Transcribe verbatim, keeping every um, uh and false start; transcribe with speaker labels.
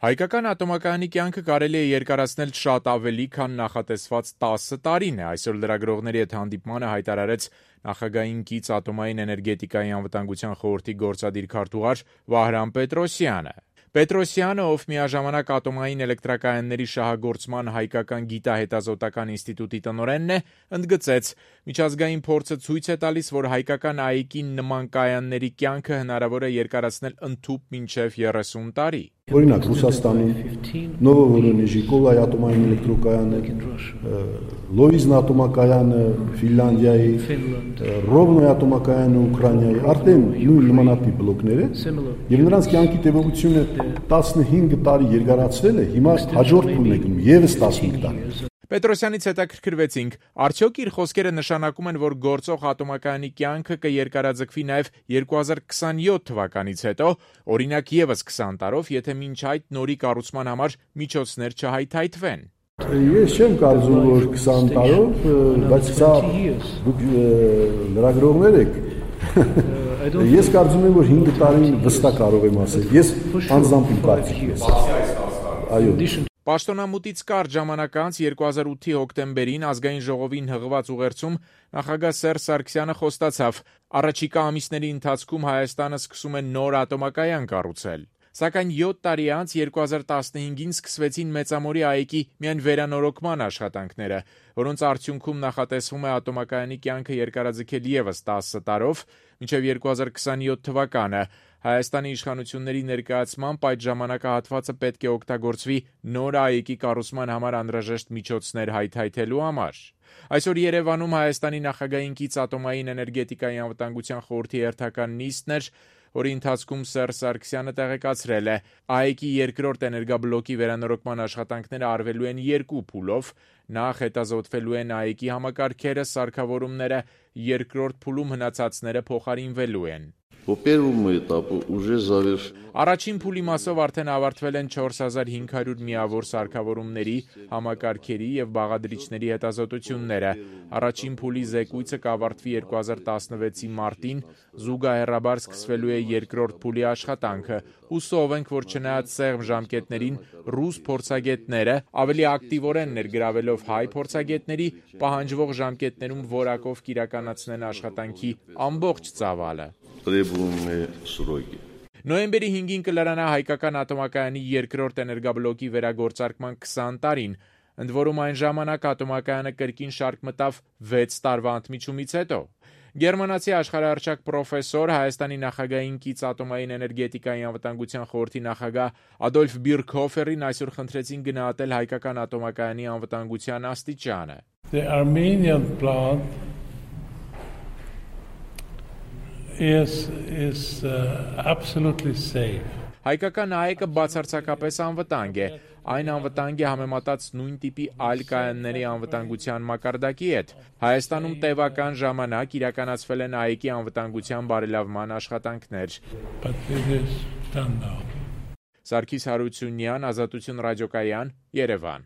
Speaker 1: Հայկական ատոմակայանի կյանքը կարելի է երկարացնել շատ ավելի, քան նախատեսված տասը տարին է, այսօր լրագրողների հետ հանդիպմանը հայտարարեց նախագահին կից ատոմային էներգետիկայի անվտանգության խորհրդի գործադիր քարտուղար Վահրամ Պետրոսյանը։ Պետրոսյանը, ով միաժամանակ ատոմային էլեկտրակայանների շահագործման հայկական գիտահետազոտական ինստիտուտի տնօրենն է, ընդգծեց. միջազգային փորձը ցույց է տալիս, որ հայկական ԱԻԿ-ի նման կայանների կյանքը հնարավոր է երկարացնել ընդհուպ մինչև երեսուն տարի։
Speaker 2: Օրինակ Ռուսաստանում Նովովորոնեժի Կոլայ ատոմային էլեկտրոկայանը, Լոիզն ատոմակայանը Ֆինլանդիայի, Ռովնոյ ատոմակայանը Ուկրաինայի, արդեն նույն նմանատիպ բլոկներ են, եւ նրանց կյանքի տևողությունը տասնհինգ տարի երկարացվել է, հիմա հաջորդ փուլն է գնում եւս տասնհինգ տարի։
Speaker 1: Պետրոսյանից հետաքրքրվեցինք, արդյոք իր խոսքերը նշանակում են, որ գործող ատոմակայանի կյանքը կերկարաձգվի նաև երկու հազար քսանյոթ թվականից հետո, օրինակ եւս քսան տարով, եթե մինչ այդ նորի կառուցման համար միջոցներ չհայթայթվեն։
Speaker 2: Ես չեմ կարծում, որ քսան տարով, բայց սա դուք լրագրողներ եք։ Ես կարծում եմ, որ հինգ տարին վստահ կարող եմ ասել։ Ես անձամբ իմ կարծիքն եմ։ Այո։
Speaker 1: Պաշտոնամուտից կարճ ժամանակ անց երկու հազար ութի հոկտեմբերին ազգային ժողովին հղված ուղերձում նախագահ Սերժ Սարգսյանը խոստացավ. առաջիկա ամիսների ընթացքում Հայաստանը սկսում է նոր ատոմակայան կառուցել։ Սակայն յոթ տարի անց երկու հազար տասնհինգին սկսվեցին Մեծամորի ԱԻԿ-ի միայն վերանորոգման աշխատանքները, որոնց արդյունքում նախատեսվում է ատոմակայանի կյանքը երկարաձգել եւս տասը տարով, մինչև երկու հազար քսանյոթ թվականը։ Հայաստանի իշխանությունների ներկայացմամբ այդ ժամանակահատվածը պետք է օգտագործվի նոր ԱԻԿ-ի կառուցման համար անհրաժեշտ միջոցներ հայթայթելու համար։ Այսօր Երևանում Հայաստանի նախագահին կից ատոմային էներգետիկայի անվտանգության խորհրդի հերթական նիստն էր, որի ընթացքում Սերժ Սարգսյանը տեղեկացրել է. ԱԻԿ-ի երկրորդ էներգաբլոկի վերանորոգման աշխատանքները արվելու են երկու փուլով, նախ հետազոտվելու են ԱԻԿ-ի համակարգերը, սարքավորումները, երկրորդ փուլում հնացածները փոխարինվելու են։ Առաջին փուլի մասով արդեն ավարտվել են չորս հազար հինգ հարյուր միավոր սարքավորումների, համակարգերի եւ բաղադրիչների հետազոտությունները։ Առաջին փուլի զեկույցը կավարտվի երկու հազար տասնվեցի մարտին, զուգահեռաբար սկսվելու է երկրորդ փուլի աշխատանքը։ Հուսով ենք, որ չնայած սեղմ ժամկետներին, ռուս փորձագետները ավելի ակտիվորեն ներգրավելով հայ փորձագետների, պահանջվող ժամկետներում որակով կիրականացնեն աշխատանքի ամբողջ ծավալը։ Նոյեմբերի հինգին կլրանա հայկական ատոմակայանի երկրորդ էներգաբլոկի վերագործարկման քսան տարին, ընդ որում այն ժամանակ ատոմակայանը կրկին շարք մտավ վեց տարվա ընդմիջումից հետո։ Գերմանացի աշխարհահռչակ պրոֆեսոր, Հայաստանի նախագահին կից ատոմային էներգետիկայի անվտանգության խորհրդի նախագահ Ադոլֆ Բիրքհոֆերին այսօր խնդրեցին գնահատել հայկական ատոմակայանի անվտանգության աստիճանը։
Speaker 3: The Armenian plant is is uh, absolutely safe.
Speaker 1: Հայկական ԱԵԿ-ը բացարձակապես անվտանգ է։ Այն անվտանգ է համեմատած նույն տիպի այլ կայանների անվտանգության մակարդակի հետ։ Հայաստանում տևական ժամանակ իրականացվել են ԱԵԿ-ի անվտանգության բարելավման աշխատանքներ։
Speaker 3: Սարգիս
Speaker 1: Հարությունյան, Ազատություն ռադիոկայան, Երևան։